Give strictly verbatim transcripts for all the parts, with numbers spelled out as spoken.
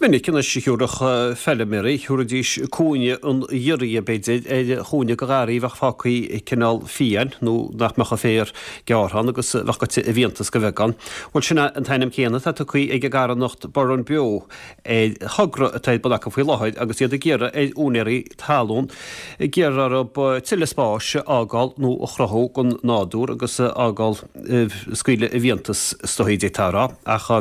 minic anois a thiúrfadh feilméaraí, thiúrfaidís cúinne an ghiorria, b'fhéidir, ar chúinne de gharraí a bheadh fágtha cineál fiáin nó nach mbeadh an féar gearrtha ann agus a bheadh goite i bhfiántas de bheagán. Bhuel, sin é an t-ainm céanna atá tugtha ag an gcarthanacht Burrenbeo ar thogra atá ar bun acu faoi láthair agus iad ag iarraidh ar úinéirí talún ag iarraidh orthu tuilleadh spáis a fhágáil nó a chruthú don nádúr agus a fhágáil scaoileadh i bhfiántas is dóichí d'fhéadfá a rá. Ach.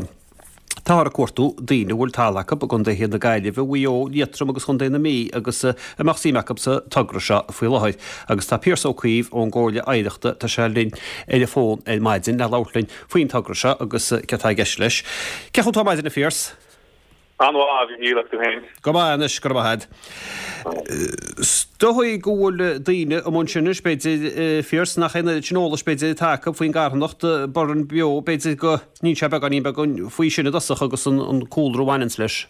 Táthar ag cuartú daoine a bhfuil talamh acu i gcontaetha na Gaillimhe, Mhaigh Eo, Liatroim agus Chontae na Mí agus a mbeadh suim acu sa togra seo faoi láthair. Agus tá Pearse Ó Caoimh ón gComhairle Oidhreachta, tá sé linn ar an bhfón ar maidin le labhairt linn faoin togra seo agus céard atá i gceist leis. Cén chaoi atá tú ar maidin a Phearse? An-mhaith, a Mhíchíl, agus tú féin? Go maith anois, go raibh maith agat. Is dóigh go bhfuil daoine amuigh ansin anois, b'fhéidir, a Phearse, nach é an oiread sin eolais, b'fhéidir, atá acu faoin gcarthanacht Burrenbeo, b'fhéidir go n-inseofá beagáinín beag faoi sin i dtosach agus an cúlra a bhaineanns leis.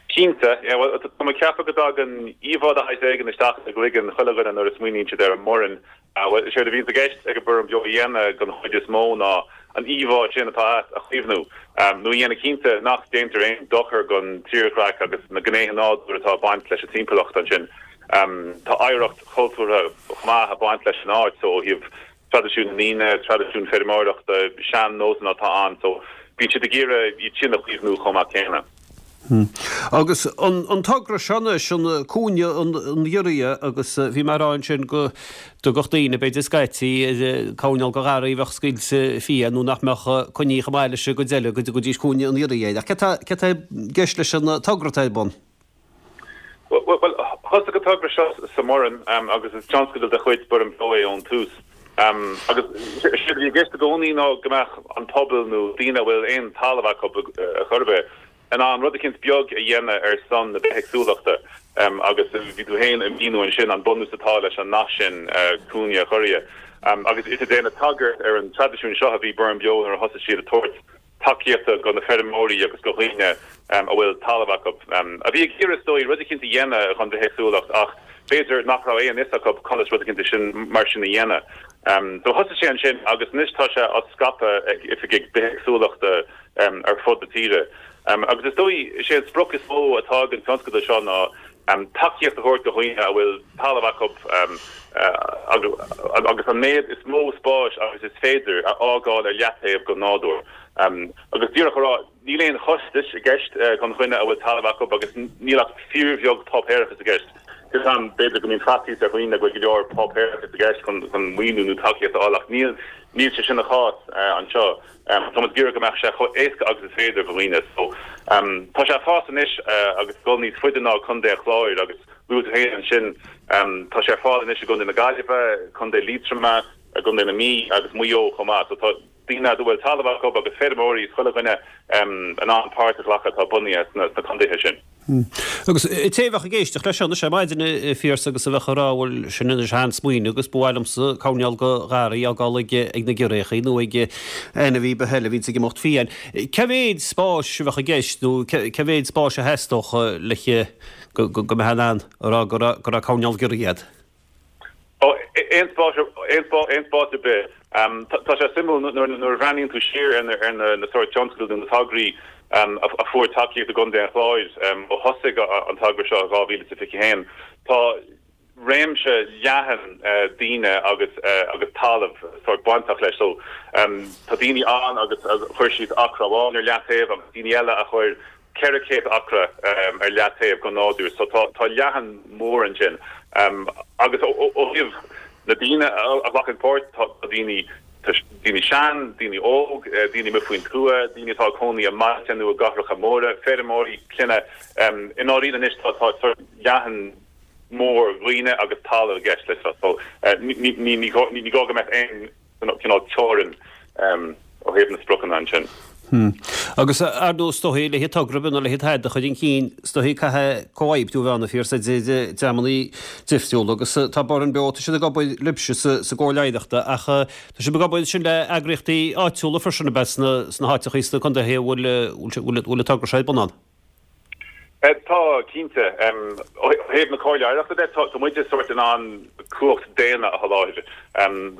Cinnte, yeah, bhuel, tá mé ag ceapadh go dtagann íomhá de shaghas éigin isteach i gcloigeann chuile dhuine nuair a smaoiníonn siad ar an mBoireann. Bhuel, is éard a bhíonns i gceist ag an Burrenbeo a dhéanamh den chuid is mó ná an íomhá sin atá agat a chaomhnú, nó a dhéanamh cinnte nach déantar aon dochar don tírdhreach agus na gnéithe nádúir atá ag baint leis an timpeallacht ansin. Tá oidhreacht chultúrtha chomh maith ag baint leis an áit so ó thaobh traidisiún na ndaoine, traidisiún feirmeoireachta, sean-nósanna atá ann so bíonn siad ag iarraidh iad sin a chaomhnú chomh maith céanna. Agus an togra seo anois, an cúinne an ghiorria, agus bhí mé ag rá ansin go dtugadh daoine, b'fhéidir scaití, ar coirnéal de gharraí a bheadh scaoilte fiáin nó nach mbeadh coinnithe chomh maith leis an gcuid eile, go dtugaidís cúinne an ghiorria air. Ach céard tá, céard tá i gceist leis an togra atá ar bun? Bhuel, thosaigh an togra seo sa mBoireann agus is tionscadal de chuid Burrenbeo é ón tús. Agus is éard a bhí i gceist i gcónaí ná go mbeadh an pobal nó daoine a bhfuil aon talamh acu ar chor ar bith, in ann rud eicínt beag a dhéanamh ar son na bithéagsúlachta agus bhí tú féin ag míniú ansin an bunús atá leis an nath sin, cúinne an ghiorria. Agus is ag déanamh tagairt ar an traidisiún seo a bhí Burrenbeo nuair a thosaigh siad ag tabhairt tacaíochta do na feirmeoirí agus do dhaoine a bhfuil talamh acu, a bhí ag iarraidh is dóigh rud eicínt a dhéanamh don bhithéagsúlacht ach b'fhéidir nach raibh aon fhios acu conas rud eicínt sin mar sin a dhéanamh. So thosaigh sé ansin agus anois tá sé á scaipeadh ag oifigigh bithéagsúlachta ar fud na tíre. Agus is dóigh, is é an sprioc is mó atá ag an tionscadal seo ná tacaíocht a thabhairt do dhaoine a bhfuil talamh acu agus an méid is mó spáis agus is féidir a fhágáil ar leataobh don nádúr. Agus díreach a rá, níl aon chostais i gceist don dhuine a bhfuil talamh acu agus níl ach fíorbheag páipéarachas i gceist. Fios a'm, b'fhéidir go mbíonn faitíos ar dhaoine go bhfuil go leor páipéarachas i gceist chun maoiniú nó tacaíocht a fháil ach níl níl sé sin an chás anseo. Tá muid ag iarraidh go mbeadh sé chomh éasca agus is féidir do dhaoine. So, tá sé ag fás anois agus ag dul níos faide ná Contae an Chláir agus luaigh tú féin ansin, tá sé ar fáil anois i gContae na Gaillimhe, Contae Liatroma, i gContae na Mí agus Maigh Eo chomh maith. So tá daoine a bhfuil talamh acu agus feirmeoirí is chuile dhuine in ann páirt a ghlacadh atá bunaithe sna contaetha sin. Agus an té a bheadh ag éisteacht leis seo anois ar maidin, a Phiarsaigh, agus a bheadh ag rá, bhuel, sin anois an-smaoineamh agus ba mhaith liomsa coirnéal de gharraí a fhágáil ag ag na giorriachaí nó ag ainmhí ar bith eile a bhíonns ag imeacht fiáin. Cé mhéid spáis a bheadh i gceist nó cé mhéid spáis a theastódh le go go mbeifeá in ann a rá go raibh go raibh coirnéal giorria agat? Ó, aon spás, aon spás, aon spás ar bith. Tá sé suimiúil nuair a bhreathnaíonn tú siar ar ar na sórt tionscadail nó na tograí a fuair tacaíocht i gContae an Chláir ó thosaigh an togra seo i dhá mhíle is a fiche haon. Tá réimse leathan daoine agus agus talamh sórt bainteach leis. So tá daoine ann agus chuir siad acra amháin ar leataobh agus daoine eile a chuir ceithre chéad acra ar leataobh don nádúr so tá tá leathan mór ansin. Agus ó thaobh na daoine a ghlacann páirt, tá daoine tá daoine sean, daoine óg, daoine amuigh faoin tuath, daoine atá ag cónaí i mbailte nó i gcathracha móra, feirmeoirí, clainne. I ndáiríre anois tá tá sórt leathan mór dhaoine agus talamh i gceist leis seo so ní ní ní ní gá go mbeadh aon cineál teorainn ó thaobh na spriocanna ansin. Agus ar ndóigh is dóichí le togra ar bith nó le tada a chur chun cinn, is dóichí caithfidh comhoibriú a bheith ann a Phiarsaigh idir dreamanna difriúla agus tá Burrenbeo, tá siad ag obair libhse sa gComhairle Oidhreachta ach tá sibh ag obair ansin le eagraíochtaí áitiúla freisin ab ea sna háiteachaí sna contaetha a bhfuil an togra seo ar bun ann? Tá, cinnte. Ó thaobh na Comhairle Oidhreachta de, tá muide sórt in ann cumhacht daonna a sholáthar.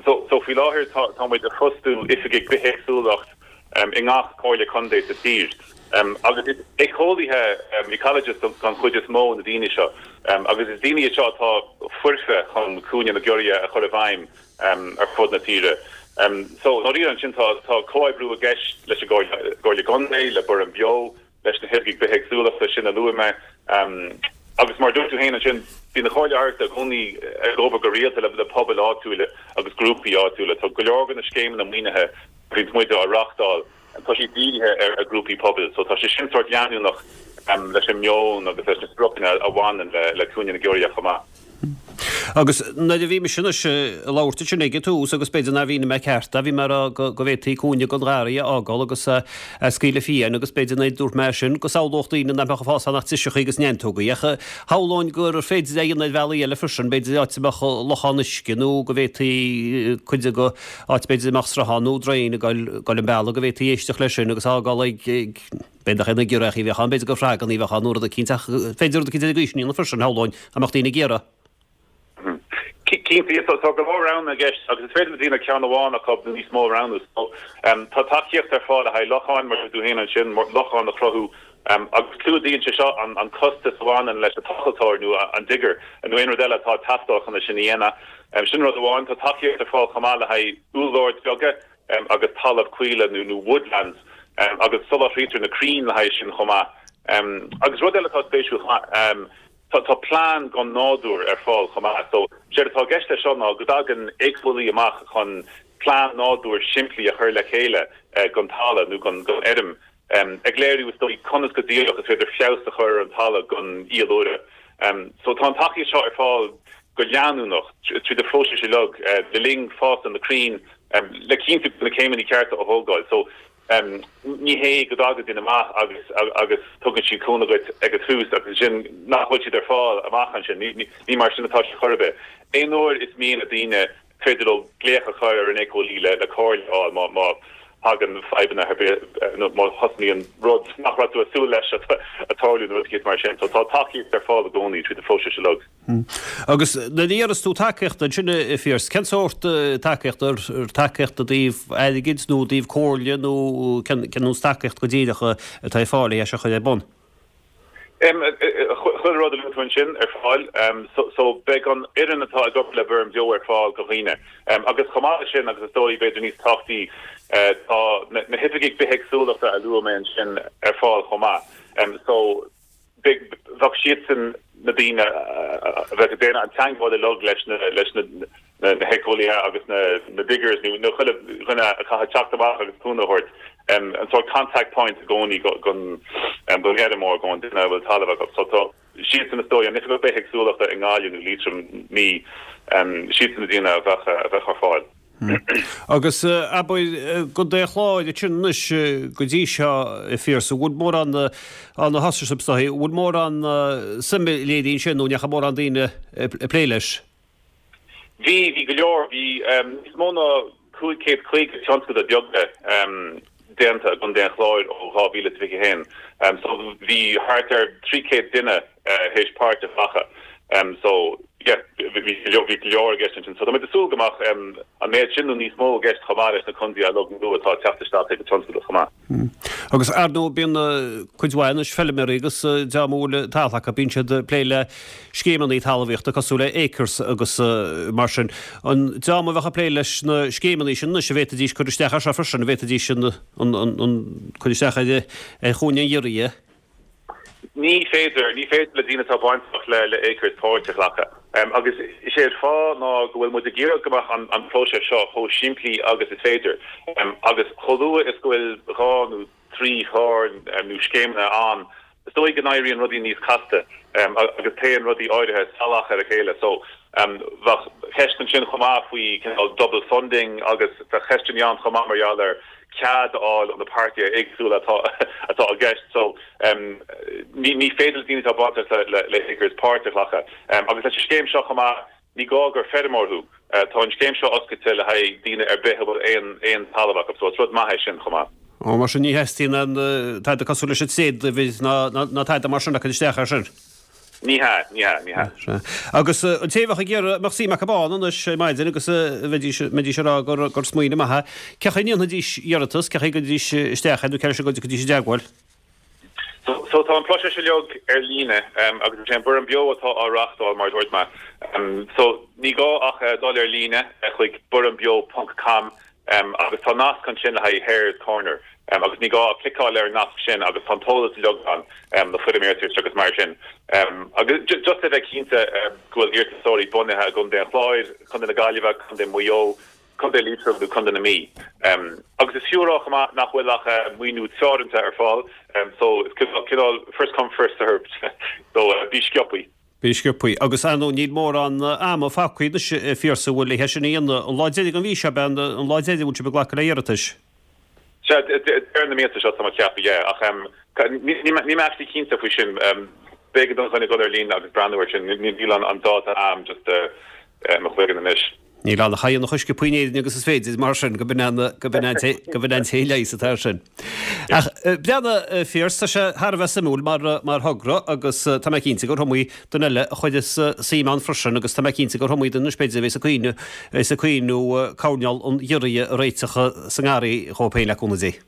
So faoi láthair tá muid ag fostú oifigigh bithéagsúlacht i ngach comhairle contae sa tír. Agus is éiceolaithe, ecologists den chuid is mó na daoine seo, agus is daoine iad seo atá foirfe chun Cúinne na Giorria a chur i bhfeidhm ar fud na tíre. So, ndáiríre ansin tá tá comhoibriú i gceist leis an gComhairle Contae, le Burren Beo, leis na hoifigigh bithéagsúlachta sin a luaigh mé. Agus mar a dúirt tú féin ansin, bíonn an Chomhairle Oidhreachta i gcónaí ag obair go rialta le pobail áitiúla agus grúpaí áitiúla. Tá go leor de na scéimeanna maoinithe a bhíonns muid á reáchtáil, tá siad dírithe ar ghrúpaí pobail. So tá sé sin sórt leanúnach leis an meon agus leis na spriocanna a bhaineann le Cúinne na Giorria chomh maith. Agus nuair a bhí mise anois ag labhairt ansin ag an tús agus b'fhéidir nár mhínigh mé ceart é, bhí mé ag rá go bhféadfaí cúinne den gharraí a fhágáil agus a scaoileadh fiáin agus b'fhéidir nuair a dúirt mé sin go samhlódh daoine nach mbeadh ag fás ann ach driseacha agus neantógaí ach shamhlóinn gur féidir é a dhéanamh ar bhealaí eile freisin, b'fhéidir áit a mbeadh lochán uisce nó go bhféadfaí cuid de áit b'fhéidir a mbeadh sruthán nó draein ag dul an bealach go bhféadfaí éisteacht leis sin agus fhágáil ag b'fhéidir nach é na giorriacha a bheadh ann, b'fhéidir gur froganna a bheadh ann nó rud eicínt ach féidir rud eicínt ar an gcaoi sin a dhéanamh freisin, shamhlóinn, dá mbeadh daoine ag iarraidh. Cinnte, tá go leor roghanna i gceist agus is féidir le daoine ceann amháin acu nó níos mó a roghnú. So, tá tacaíocht ar fáil le haghaidh locháin, mar a dúirt tú féin ansin, lochán a chruthú agus clúdaíonn sé seo an costas a bhaineann leis an tochaltóir nó an digger nó aon rud eile atá ag teastáil chun é sin a dhéanamh. Sin rud amháin. Tá tacaíocht ar fáil chomh maith le haghaidh úlloird beaga agus talamh coille nó woodlands agus soláthraítear na crainn le haghaidh sin chomh maith. Agus rud eile atá spéisiúil chomh maith, Tá tá plean don nádúr ar fáil chomh maith. So, séard atá i gceist leis seo ná go dtagann éiceolaí amach chun plean nádúir simplí a chur le chéile don talamh nó don don fheirm, ag léiriú is dóigh conas go díreach is féidir feabhas a chur ar an talamh don fhiadhúlra. So, tá an tacaíocht seo ar fáil go leanúnach tríd an phróiseas uilig le linn fás na crainn le cinntiú go bhfuil na céimeanna cearta á thógáil. So, Ní hé go dtagann duine amach agus agus tugann siad cúnamh duit ag an tús agus ansin nach bhfuil siad ar fáil amach ansin. Ní mar sin atá sé chor ar bith. Aon uair is mian le daoine, is féidir leo glaoch a chur ar an éiceolaí le comhairle a fháil má má thagann fadhbanna ar bith nó má thosnaíonn rud nach raibh tú ag súil leis ag tarlú nó rud eicínt mar sin. So tá tacaíocht ar fáil i gcónaí tríd an phróiseas uilig. Agus nuair a iarras tú tacaíocht ansin, a Phearse, cén sórt tacaíochta, ar tacaíocht i dtaobh airgid nó i dtaobh comhairle nó cén nós tacaíocht go díreach atá ar fáil é seo a chur ar bun? Chuile rud a luaigh tú ansin ar fáil. So beidh an fhoireann atá ag obair le Burren Beo ar fáil do dhaoine. Agus chomh maith leis sin, agus is dóigh b'fhéidir níos tábhachtaí, tá na hoifigigh bithéagsúlachta a luaigh mé ansin ar fáil chomh maith. So bheadh siadsan na daoine a bheadh ag déanamh an teagmháil uilig leis na leis na na héiceolaithe agus na na diggers nó nó chuile dhuine a chaithfidh teacht amach agus cúnamh a thabhairt, an sórt contact point i gcónaí don don fheirmeoir, don duine a bhfuil talamh acu. So tá siadsan is dóigh, an Oifigeach Bithéagsúlachta i nGaillimh nó Liatroim, Mí, siadsan na daoine a bheadh a bheadh ar fáil. Agus abair i gContae an Chláir ansin anois go dtí seo, a Phiarsaigh, an bhfuil mórán ann a thosaigh sibh, an bhfuil mórán suime léirithe ansin nó an ndeachaigh mórán daoine ag plé leis? Bhí, bhí go leor. Bhí níos mó ná cúig chéad caoga tionscadal beaga déanta i gContae an Chláir ó dhá mhíle is fiche a haon. So bhí thart ar trí chéad duine théis páirt a ghlacadh. So yeah, bhí go leor i gceist ansin. So tá muid ag súil go mbeadh an méid sin nó níos mó i gceist chomh maith leis na contaetha uilig nua atá ag teacht isteach chuig an tionscadal chomh maith. Agus ar ndóigh bíonn cuid mhaith anois feilméaraí agus dá mba bhfuil talamh acu bíonn siad ag plé le scéimeanna talmhaíochta cosúil le Acres agus mar sin. An dream a bheadh ag plé leis na scéimeanna sin anois an bhféadfaidís cur isteach air seo freisin, an bhféadfaidís an an cur isteach ar ar Chúinne an Ghiorria? Ní féidir, ní féidir le daoine atá bainteach le le Acres páirt a ghlacadh. Agus is é an fáth ná go bhfuil muid ag iarraidh go mbeadh an an próiseas seo chomh simplí agus is féidir. Agus chomh luath is go bhfuil dhá nó trí chlár nó scéimeanna ann, is dóigh go n-éiríonn rudaí níos casta agus téann rudaí áirithe salach ar a chéile. So, bheadh ceist ansin chomh maith faoi cineál double funding agus bheadh ceisteanna ann chomh maith mar gheall ar cead a fháil ó na páirtithe éagsúla atá atá i gceist. So, ní ní féidir le daoine atá bainteach le le Acres páirt a ghlacadh. Agus leis an scéim seo chomh maith, ní gá gur feirmeoir thú. Tá an scéim seo oscailte le haghaidh daoine ar bith a bhfuil aon aon talamh acu. So, is rud maith é sin chomh maith. Ó, mar sin ní theastaíonn aon tada cosúil leis an tréaduimhir ná ná tada mar sin le cur isteach air sin. Ní hea, ní hea, ní hea. Sea. Agus an té a bheadh ag iarraidh, mbeadh suim acu ann anois ar maidin agus bheidís, mbeidís ag rá gur, gur smaoineamh maith é. Cén chaoi a ndéanfaidís iarratas, cén chaoi a gcuirfidís isteach é nó cé leis a gcuirfidís i dteagmháil? So, so tá an próiseas uilig ar líne um, agus sé Burren Beo atá á reáchtáil mar dúirt mé. Um, so ní gá ach uh, dul ar líne uh, chuig burrenbeo.com um, agus tá nasc ansin le haghaidh Hare's Corner. Um, agus ní gá cliceáil ar nasc sin agus tá eolas uilig ann um, na foirm iarratais agus mar sin. Um, agus just a bheith cinnte um, go bhfuil iarratasóirí bunaithe i gContae an Chláir, Contae na Gaillimhe, Contae Mhaigh Eo, Contae Liatroma nó Contae na Mí. Um, agus is fiú a rá nach bhfuil ach uh, maoiniú teoranta ar fáil, um, so it's cineál first come first served so uh, bí sciobtha. Bí sciobtha agus an níl mórán ama fágtha a Phiarsaigh bhfuil leis sin an lá deiridh an mhí seo an lá deiridh bhfuil sibh ag glacadh le hiarratais. Ar na míosa seo tá ceap ach ní mé cinnte faoi sin b'fhéidir don chun go ar líne agus breathnú sin níl an dáta am just uh, mo chloigeann anois. Níl an chaon a chuisce puoinéin agus is féidir mar sin go bin go bin go bin an téile atá sin. Ach breana fíor tá sé thar a bheith suimiúil mar mar thogra agus tá mé cinnte gur iomaí duine eile a chuirfeas suim ann freisin agus tá mé cinnte gur iomaí duine b'fhéidir a bheas ag cuimhneamh is ag cuimhneamh coirnéal an ghiorria a réiteach sa ngarraí dhóibh féin le cúnamh Dé.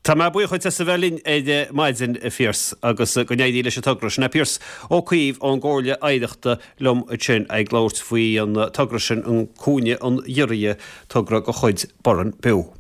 Tá mé buíoch as a bheith linn ar maidin a Phiarsaigh agus go n-éirí leis an togra sin. Pearse Ó Caoimh ón gComhairle Oidhreachta liom ansin ag labhairt faoi an togra sin an Cúinne an Ghiorria togra de chuid Burren Beo.